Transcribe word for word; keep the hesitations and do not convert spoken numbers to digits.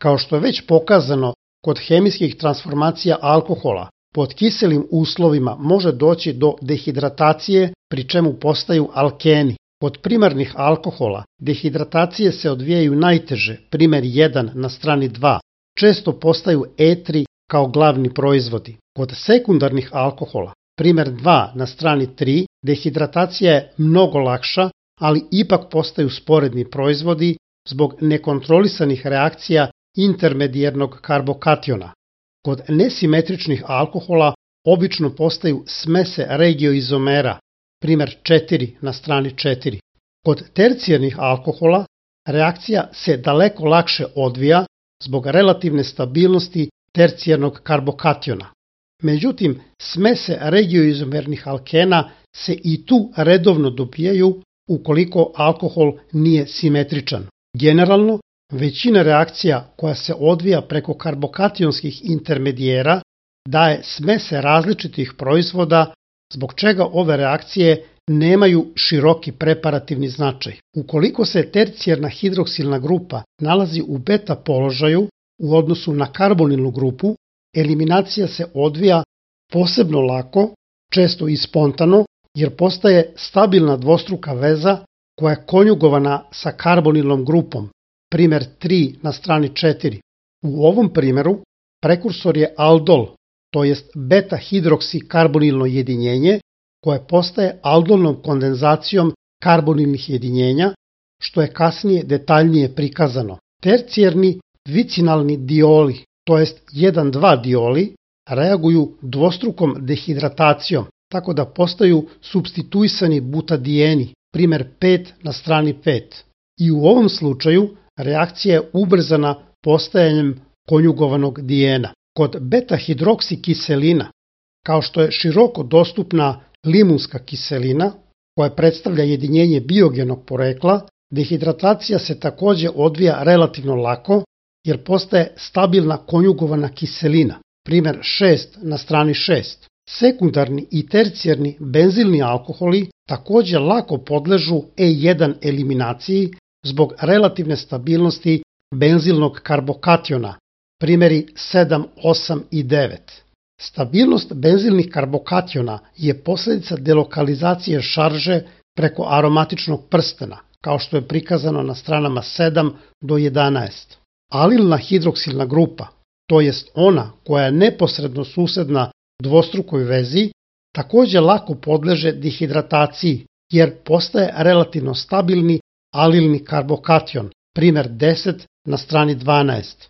Kao što je već pokazano kod hemijskih transformacija alkohola, pod kiselim uslovima može doći do dehidratacije, pri čemu postaju alkeni. Kod primarnih alkohola dehidratacije se odvijaju najteže, primer jedan na strani dva, često postaju etri kao glavni proizvodi. Kod sekundarnih alkohola, primer dva na strani tri, dehidratacija je mnogo lakša, ali ipak postaju sporedni proizvodi zbog nekontrolisanih reakcija intermedijernog karbokationa. Kod nesimetričnih alkohola obično postaju smese regioizomera, primer četiri na strani četiri. Kod tercijarnih alkohola reakcija se daleko lakše odvija zbog relativne stabilnosti tercijarnog karbokationa. Međutim, smese regioizomernih alkena se i tu redovno dobijaju ukoliko alkohol nije simetričan. Generalno, većina reakcija koja se odvija preko karbokationskih intermedijera daje smese različitih proizvoda, zbog čega ove reakcije nemaju široki preparativni značaj. Ukoliko se tercijarna hidroksilna grupa nalazi u beta položaju u odnosu na karbonilnu grupu, eliminacija se odvija posebno lako, često i spontano, jer postaje stabilna dvostruka veza koja je konjugovana sa karbonilnom grupom, primer tri na strani četiri. U ovom primeru prekursor je aldol, to jest beta-hidroksikarbonilno jedinjenje, koje postaje aldolnom kondenzacijom karbonilnih jedinjenja, što je kasnije detaljnije prikazano. Tercijarni dvicinalni dioli, to jest jedan dva dioli, reaguju dvostrukom dehidratacijom, tako da postaju supstituisani butadijeni, primer pet na strani pet. I u ovom slučaju reakcija je ubrzana postajanjem konjugovanog dijena. Kod beta-hidroksikiselina, kao što je široko dostupna limunska kiselina, koja predstavlja jedinjenje biogenog porekla, dehidratacija se takođe odvija relativno lako, jer postaje stabilna konjugovana kiselina, primer šest na strani šest. Sekundarni i tercijarni benzilni alkoholi takođe lako podležu E jedan eliminaciji zbog relativne stabilnosti benzilnog karbokationa, primjeri sedam, osam i devet. Stabilnost benzilnih karbokationa je posljedica delokalizacije šarže preko aromatičnog prstena, kao što je prikazano na stranama sedam do jedanaest. Alilna hidroksilna grupa, to jest ona koja je neposredno susedna dvostrukoj vezi, takođe lako podleže dehidrataciji, jer postaje relativno stabilni alilni karbokation, primer deset na strani dvanaest.